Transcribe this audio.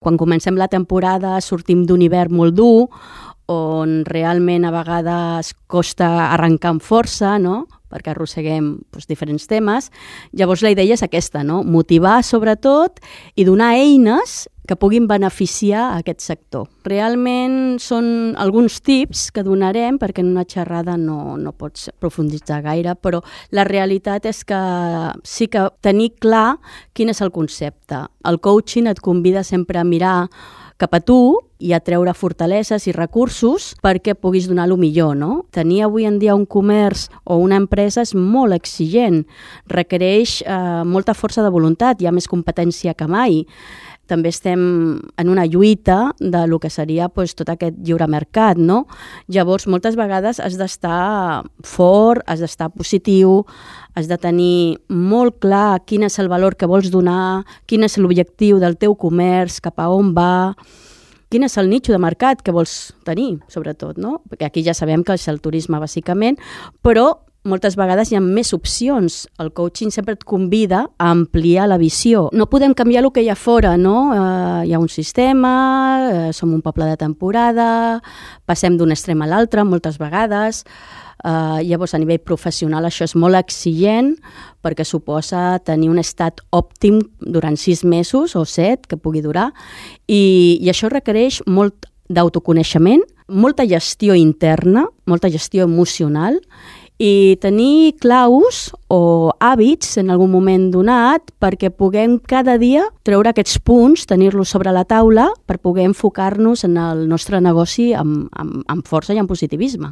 Quan comencem la temporada sortim d'un hivern molt dur, on realment a vegades costa arrencar amb força, no?, perquè arrosseguem diferents temes. Llavors la idea és aquesta, no?, motivar sobretot i donar eines que puguin beneficiar a aquest sector. Realment són alguns tips que donarem, perquè en una xerrada no pots profunditzar gaire, però la realitat és que sí que tenir clar quin és el concepte. El coaching et convida sempre a mirar cap a tu i a treure fortaleses i recursos perquè puguis donar el millor, no? Tenir avui en dia un comerç o una empresa és molt exigent, requereix molta força de voluntat, hi ha més competència que mai. També estem en una lluita de lo que seria tot aquest lliure mercat, no? Llavors, moltes vegades has d'estar fort, has d'estar positiu, has de tenir molt clar quin és el valor que vols donar, quin és l'objectiu del teu comerç, cap a on va, quin és el nicho de mercat que vols tenir, sobretot, no? Perquè aquí ja sabem que és el turisme, bàsicament, però moltes vegades hi ha més opcions. El coaching sempre et convida a ampliar la visió. No podem canviar el que hi ha fora, no? Hi ha un sistema, som un poble de temporada, passem d'un extrem a l'altre moltes vegades. Llavors, a nivell professional, això és molt exigent perquè suposa tenir un estat òptim durant 6 mesos o 7, que pugui durar, i això requereix molt d'autoconeixement, molta gestió interna, molta gestió emocional, i tenir claus o hàbits en algun moment donat perquè puguem cada dia treure aquests punts, tenir-los sobre la taula per poder enfocar-nos en el nostre negoci amb força i amb positivisme.